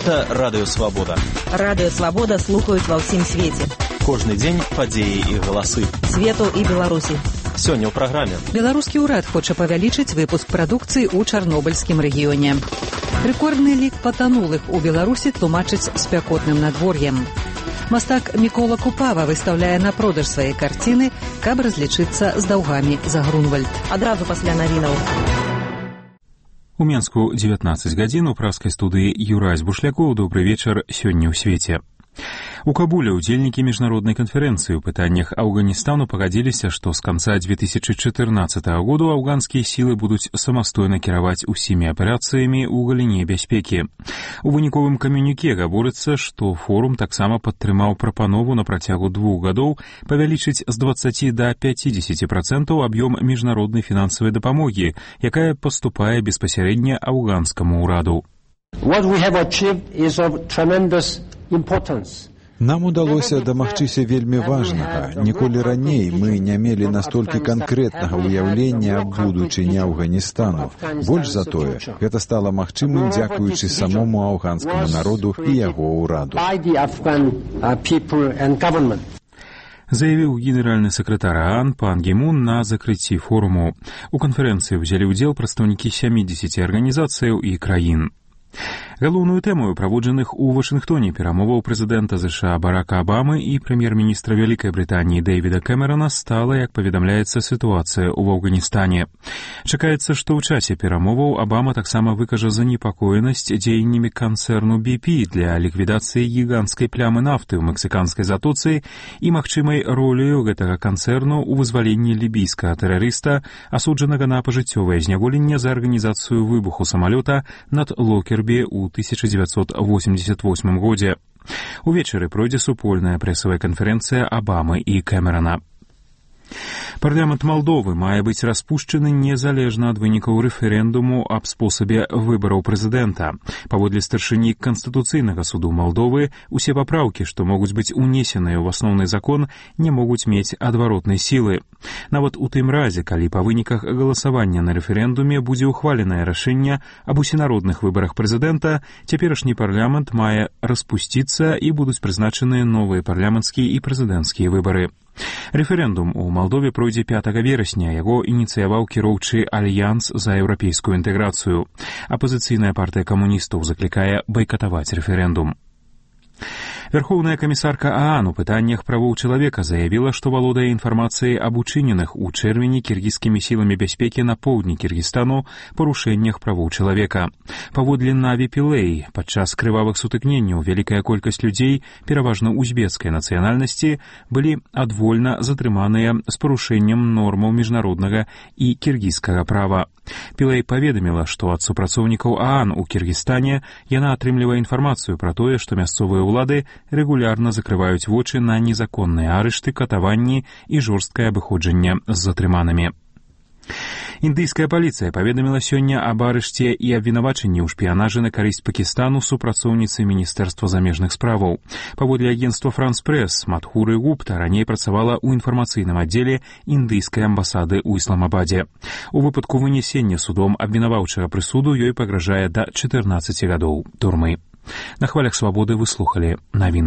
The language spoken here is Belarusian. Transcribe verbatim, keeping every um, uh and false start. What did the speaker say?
Гэта Радыё Свабода. Радыё Свабода слухаюць ва ўсім свеце. Кожны дзень падзеі і галасы. Свету і Беларусі. Сёння ў праграме. Беларускі ўрад хоча павялічыць выпуск прадукцыі ў чарнобыльскім рэгіёне. Рэкордны лік патанулых у Беларусі тлумачыць спякотным надвор'ем. Мастак Мікола Купава выстаўляе на продаж свае карціны, каб разлічыцца з даўгамі за Грунвальд. Адразу пасля навінаў. У Менску дзевятнаццаць гадзін у праскай студыі Юрась Бушлякоў. Добры вечар сёння ў свеце. У Кабуле удзельнікі міжнароднай канферэнцыі ў пытаннях Афганістану пагадзіліся, што з канца две тысячи чатырнаццатага году афганскія сілы будуць самастойна кіраваць усімі аперацыямі ў галіне бяспекі. У выніковым камюніке гаворыцца, што форум таксама падтрымаў прапанову на працягу двух гадоў павялічыць з дваццаці да пяцідзесяці працэнтаў аб'ём міжнароднай фінансавай дапамогі, якая паступае беспасярэдня афганскаму ўраду. What we have achieved is of tremendous importance. Нам удалося дамагчыся вельмі важнага. Ніколі раней мы не мелі настолькі канкрэтнага ўяўлення аб будучыні Афганістану. Больш за тое, гэта стала магчымым дзякуючы самому афганскаму народу і яго ўраду. Заявіў генеральны сакратар ААН Пан Гі Мун на закрыцці форуму. У канферэнцыі ўзялі ўдзел прадстаўнікі сямідзесяці арганізацыяў і краін. Галоўную тэму праводжаных у Вашынгтоне перамоваў прэзідэнта ЗША Барака Абамы і прэм'ер-міністра Вялікай Брытаніі Дэвіда Кэмерана стала, як паведамляецца, сітуацыя ў Афганістане. Чакаецца, што ў часе перамоваў Абама таксама выкажа занепакоенасць дзеяннямі канцэрну би пі для ліквідацыі гіганцкай плямы нафты ў мексіканскай затоцы і магчымай ролею гэтага канцэрну ў вызваленні лібійскага тэрарыста, асуджанага на пажыццёвае зняволенне за арганізацыю выбуху самалёта над Локербі ў тысяча дзевяцьсот восемьдесят восьмым годзе. Увечары пройдзе супольная прэсавая канферэнцыя Абамы і Кэмерана. Парламент Малдовы мае быць распушчаны незалежна ад вынікаў рэферэндуму аб спосабе выбараў прэзідэнта. Паводле старшыні Канстытуцыйнага суду Малдовы, усе папраўкі, што могуць быць унесеныя ў асноўны закон, не могуць мець адваротнай сілы. Нават у тым разе, калі па выніках галасавання на рэферэндуме будзе ўхваленае рашэнне аб усенародных выбарах прэзідэнта, цяперашні парламент мае распусціцца і будуць прызначаныя новыя парламенцкія і прэзідэнцкія выбары. Рэферэндум у Малдове пройдзе пятага верасня, яго ініцыяваў кіроўчы Альянс за еўрапейскую інтэграцыю. Апазіцыйная партыя камуністаў заклікае байкатаваць рэферэндум. Верхоўная камісарка ААН у пытаннях правоў чалавека заявіла, што валодае інфармацыяй аб учыненых у чэрвені кіргізскімі сіламі бяспекі на поўдні Кіргізстану парушэннях правоў чалавека. Паводле Наві Пілэй, падчас крывавых сутыкненняў вялікая колькасць людзей, пераважна узбецкай нацыянальнасці, былі адвольна затрыманыя з парушэннем нормаў міжнароднага і кіргізскага права. Пілэй паведаміла, што ад супрацоўнікаў ААН у Кіргізстане яна атрымлівае інфармацыю пра тое, што мясцовыя ўлады рэгулярна закрываюць вочы на незаконныя арышты, катаванні і жорсткае абыходжанне з затрыманымі. Індыйская паліцыя паведаміла сёння аб арышце і абвінавачанні ў шпіянажы на карысць Пакістану супрацоўніцы Міністэрства замежных справаў. Паводле агенцтва «Франс Прэс», Мадхуры Гупта раней працавала ў інфармацыйным аддзеле індыйскай амбасады ў Ісламабадзе. У выпадку вынесення судом абвінаваўчага прысуду ёй пагражае да чатырнаццаці гадоў турмы. На хвалях свабоды вы слухалі навіны.